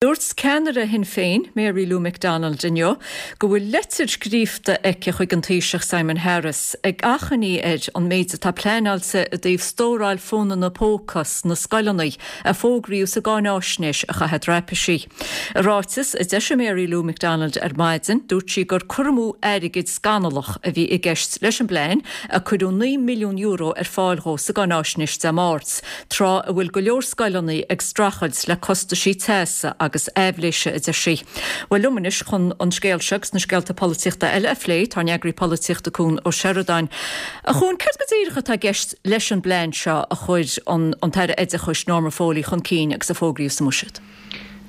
Dúirt ceannaire Shinn Féin, Mary Lou McDonald inniu go bhfuil leitir scríofa aici chuig an Taoiseach Simon Harris ag achainí air an méid atá pleanáilte i dtaobh stóráil fónanna póca sna scoileanna a fógraíodh sa gcáináisnéis a chaitheamh traipisí. I ráiteas a d'eisigh Mary Lou McDonald ar maidin, dúirt sí gur cur amú airgid scannalach a bhí i gceist leis an bplean a cuireadh €9 milliún ar fáil dhó sa gcáináisnéis Dé Máirt. tráth a bhfuil go leor scoileanna ag streachailt le costaisí teasa agus aibhléise, a deir sí. Bhuel, liom anois chun an scéal seo agus na scéalta polaitíochta eile a phlé, tá ár n-eagraí polaitíochta Cuan Ó Seireadáin. A Chuain, céard go díreach atá i gceist leis an bplean seo a chuir an an tAire Oideachais Norma Foley chun cinn agus a fógraíodh sa mBuiséad?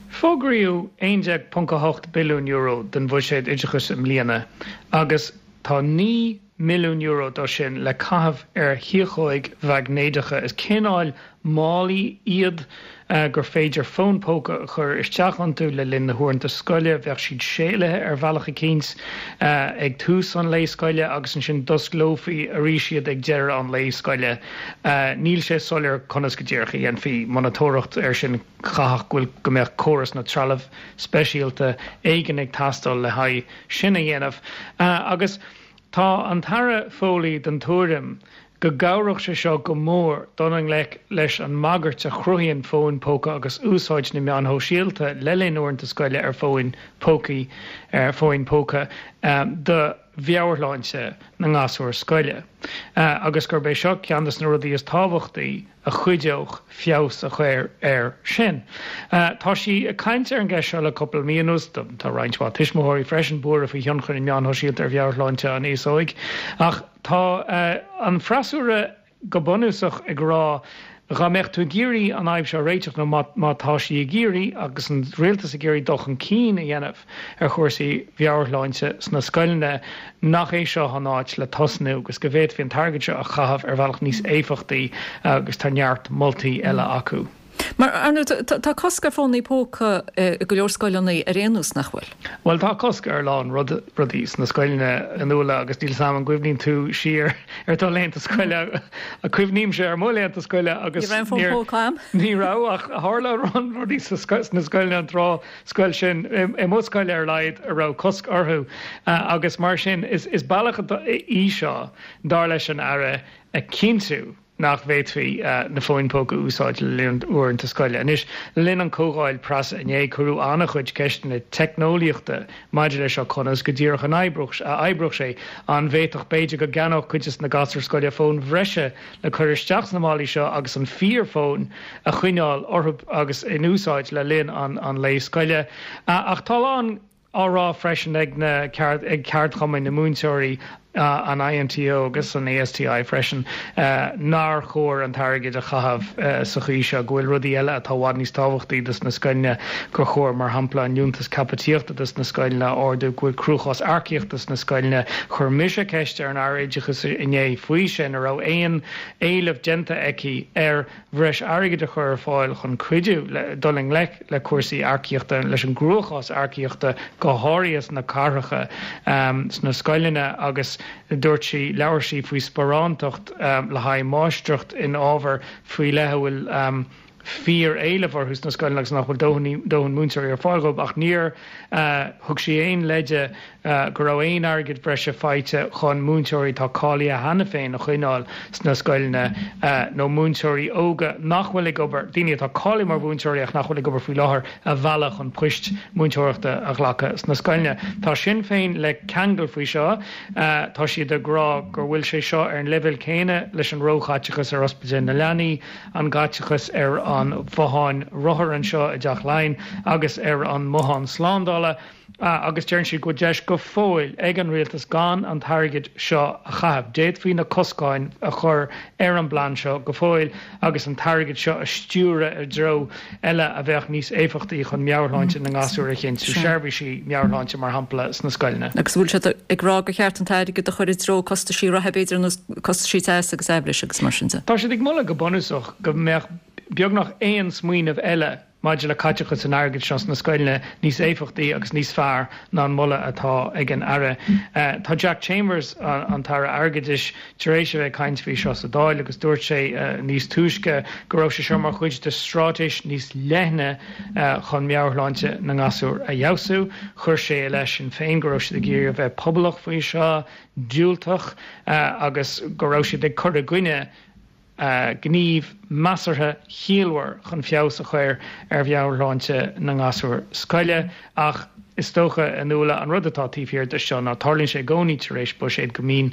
Fógraíodh €11.8 billiún den bhuiséad oideachais i mbliana agus tá €9 milliún dó sin le caitheamh ar thiachóig mhaighnéadacha. Is cineál málaí iad gur féidir fón póca a chur isteach iontu le linn na huaireanta scoile. Bheadh siad séalaithe ar bhealach eicínt ag tús an lae scoile agus ansin d'osclófaí arís iad ag deireadh an lae scoile. Níl sé soiléir conas go díreach a dhéanfaí monatóireacht air sin. Chaithfeadh go bhfuil go mbeadh córas nó trealamh speisialta éigin ag teastáil le haghaidh sin a dhéanamh. Agus tá an tAire Foley den tuairim go gcabhródh sé seo go mór dul i ngleic leis an mbagairt a chruthaíonn fóin póca agus úsáid na meáin shóisialta le linn uaireanta scoile ar fóin pócaí ar fóin póca do mheabhairshláinte na ngasúr scoile agus gurb é seo ceann de na rudaí is tábhachtaí a chuideodh feabhas a chur air sin. Tá sí ag caint ar an gceist seo le cúpla mí anuas. Tá roinnt mhaith tuismitheoirí freisin buartha faoi thionchar na meán shóisialta ar mheabhairshláinte an aos óig. Ach tá an freasúra go bunúsach ag rá dhá mbeadh tú ag iarraidh an fhadhb seo a réiteach nó má tá sí ag iarraidh agus an rialtas ag iarraidh dul chun cinn a dhéanamh ar chúrsaí mheabhairshláinte sna scoileanna, nach é seo an áit le tosnú agus go bhféadfaí an t-airgead seo a chaitheamh ar bhealach níos éifeachtaí agus tá neart moltaí eile acu. Mar, ar ndóigh, tá cosc ar fónaí póca i go leor scoileanna ar aon nós, nach bhfuil? Bhuel, tá cosc ar a lán rudaí sna scoileanna a Nuala agus níl 's a'm an gcuimhníonn tú siar ar do laethanta scoile, cuimhnímse ar mo laethanta scoile agus Ní raibh aon fón póca a'm. Ní raibh ach tharla a lán rudaí sna scoileanna an tráth scoil sin, i mo scoil ar a laghad, a raibh cosc orthu agus mar sin is bealach í seo, dar leis an Aire, a chinntiú nach bhféadfaí na fóin póca a úsáid le linn uaireanta scoile. Anois, le linn an chomhdháil preasa inné, cuireadh an-chuid ceisteanna teicneolaíochta maidir leis seo, conas go díreach an a oibreodh sé, an bhféadfadh, b'fhéidir, go gceannódh cuid de na gasúir scoile fóin bhreise le cur isteach sna málaí seo agus an fíorfhón a choinneáil orthu agus in úsáid le linn an lae scoile. Ach tá a lán á rá freisin ag na ag ceardchumainn na múinteoirí, an INTO agus an ASTI freisin, nár chóir an t-airgead a chaitheamh sa chaoi seo, go bhfuil rudaí eile atá i bhfad níos tábhachtaí dos na scoileanna, gur chóir, mar shampla, an liúntas caipitíochta dos na scoileanna a ardú, go bhfuil cruachás earcaíochta sna scoileanna. Chuir mise ceist ar an Aire Oideachais inné faoi sin, an raibh aon éileamh déanta aici ar bhreis airgid a chur ar fáil chun cuidiú le dul i ngleic le cúrsaí earcaíochta, leis an gcruachás earcaíochta, go háirithe sna cathracha, sna scoileanna agus dúirt sí, labhair sí faoi sparántacht le haghaidh máistreacht in ábhair faoi leith a bhfuil fíor-éileamh orthu sna scoileanna agus nach bhfuil dóthain múinteoirí ar fáil dhóibh ach níor thug sí aon leide go raibh aon airgead breise faighte chun múinteoirí atá cáilithe cheana féin a choinneáil sna scoileanna nó múinteoirí óga nach bhfuil ag obair, daoine atá cáilithe mar mhúinteoirí ach nach bhfuil ag obair faoi láthair, a mhealladh chun poist mhúinteoireachta a ghlacadh sna scoileanna. Tá Sinn Féin le ceangal faoi seo. Tá siad ag rá go bhfuil sé seo ar an leibhéal céanna leis an róchaiteachas ar ospidéal na leanaí, an gcaiteachas ar an bhothán rothar anseo i dTeach Laighean agus ar an mbothán slándála agus deireann siad go bhfuil deis go fóill ag an rialtas gan an t-airgead seo a chaitheamh. D'fhéadfaí na coscáin a chur ar an bplean seo go fóill agus an t-airgead seo a stiúradh i dtreo eile a bheadh níos éifeachtaí chun meabhairshláinte na ngasúr a chinntiú, seirbhísí meabhairshláinte mar shampla sna scoileanna. Agus an bhfuil siad ag rá gur cheart an t-airgead a chur i dtreo costaisí reatha b'fhéidir ar nós costaisí teasa agus aibhléise agus mar sin de? Tá siad ag moladh go bunúsach go mbeadh beagnach aon smaoineamh eile. maidir le caiteachas an airgid seo sna scoileanna níos éifeachtaí agus níos fearr ná an moladh atá ag an Aire. Tá Jack Chambers, an tAire Airgeadais, tar éis a bheith ag caint faoi seo sa Dáil agus dúirt sé níos túisce go raibh sé seo mar chuid de straitéis níos leithne chun meabhairshláinte na ngasúr a fheabhsú. Chuir sé i leith Sinn Féin go raibh siad ag iarraidh a bheith pobalach faoi seo, diúltach agus go raibh siad ag cur i gcoinne gníomh measartha ciallmhar chun feabhas a chur ar mheabhairshláinte na ngasúr scoile. Ach is dócha, a Nuala, an rud atá taobh thiar de seo ná tarlaíonn sé i gcónaí tar éis buiséid go mbíonn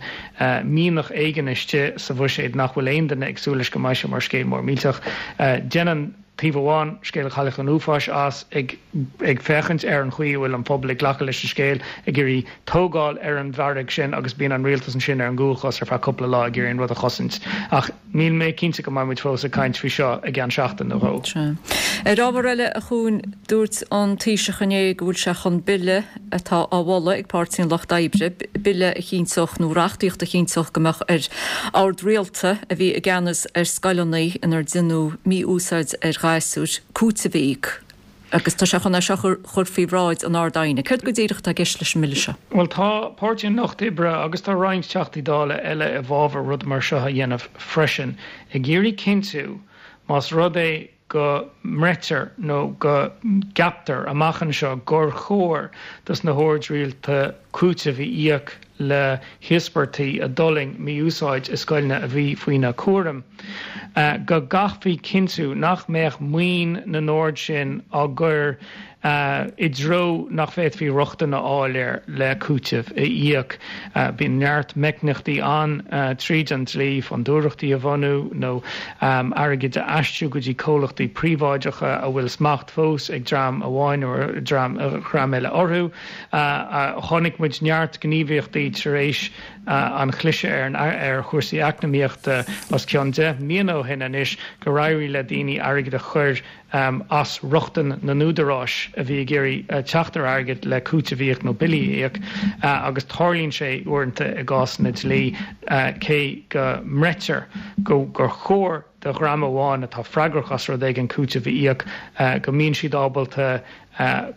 mianach éigin istigh sa bhuiséad nach bhfuil aon duine ag súil leis go mbeidh sé mar scéal mór millteach. Déanann taobh amháin scéal Chailleach an Uafáis as, ag ag féachaint ar an chaoi a bhfuil an pobal ag glacadh leis an scéal, ag iarraidh tógáil ar an bhfearg sin agus bíonn an rialtas ansin ar an gcúlchos ar feadh cúpla lá ag iarraidh an rud a chosaint. Ach níl mé cinnte go mbeidh muid fós ag caint faoi seo i gceann seachtain nó dhó. Sea. Ar ábhar eile, a Chuain, dúirt an Taoiseach inné go bhfuil sé chun bille atá á mholadh ag Páirtí an Lucht Oibre, bille a chinnteodh nó reachtaíocht a chinnteodh go mbeadh ar ord rialta a bhí i gceannas ar scoileanna inar deineadh mí-úsáid ar ghasúir, cúiteamh a íoc. Agus tá sé chun é seo a chur faoi bhráid an Ard-Aighne. Céard go díreach atá i gceist leis an mbille seo? Bhuel, tá Páirtí an Lucht Oibre agus tá roinnt Teachtaí Dála eile i bhfabhar rud mar seo a dhéanamh freisin, ag iarraidh cinntiú, más rud é go mbreitear nó go gceaptar amach anseo gur chóir dos na hoird rialta cúiteamh a íoc le híospartaigh a d'fhulaing mí-úsáid i scoileanna a bhí faoina cúram, go gcaithfí cinntiú nach mbeadh maoin na n-ord sin á gcur i dtreo nach bhféadfaí rochtain a fháil air le cúiteamh a íoc. Bíonn neart meicníochtaí ann tríd an dlí, fondúireachtaí a bhunú nó airgead a aistriú go dtí comhlachtaí príobháideacha a bhfuil smacht fós ag dream amháin nó dream eile orthu. Chonaic muid neart gníomhaíochtaí tar éis an chliseadh ar chúrsaí eacnamaíochta os cionn 10 mbliana ó shin anois gur éirigh le daoine airgead a chur as rochtain na n-údaráis a bhí ag iarraidh teacht ar airgead le cúiteamh a íoc nó billí a íoc agus tarlaíonn sé uaireanta i gcásanna dlí cé go mbreitear gur chóir do dhream amháin atá freagrach as rud éigin cúiteamh a íoc go mbíonn siad ábalta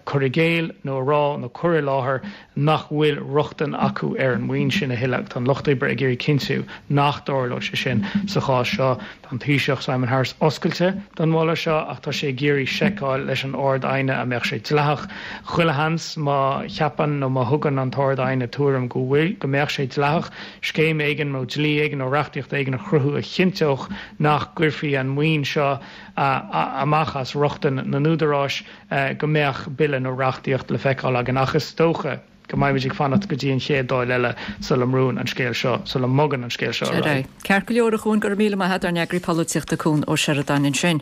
cur i gcéill nó a rá nó cur i láthair nach bhfuil rochtain acu ar an maoin sin a thuilleadh. Tá an Lucht Oibre ag iarraidh cinntiú nach dtarlóidh sé sin sa chás seo. Tá an Taoiseach Simon Harris oscailte don mholadh seo ach tá sé ag iarraidh seiceáil leis an Ard-Aighne an mbeadh sé dleathach. Chuile sheans má cheapann nó má thugann an tArd-Aighne tuairim go bhfuil, go mbeadh sé dleathach scéim éigin nó dlí éigin nó reachtaíocht éigin a chruthú a chinnteodh nach gcuirfí an maoin seo amach as rochtain na n-údaráis go mbeadh bille nó reachtaíocht le feiceáil againn ach is dócha go mbeimid ag fanacht go dtí an chéad Dáil eile sula mbrúnn an scéal seo, sula mbogann an scéal seo ar aghaidh. Ceart go leor a Chuain, go raibh míle maith agat, ár n-eagraí polaitíochta Cuan Ó Seireadáin ansin.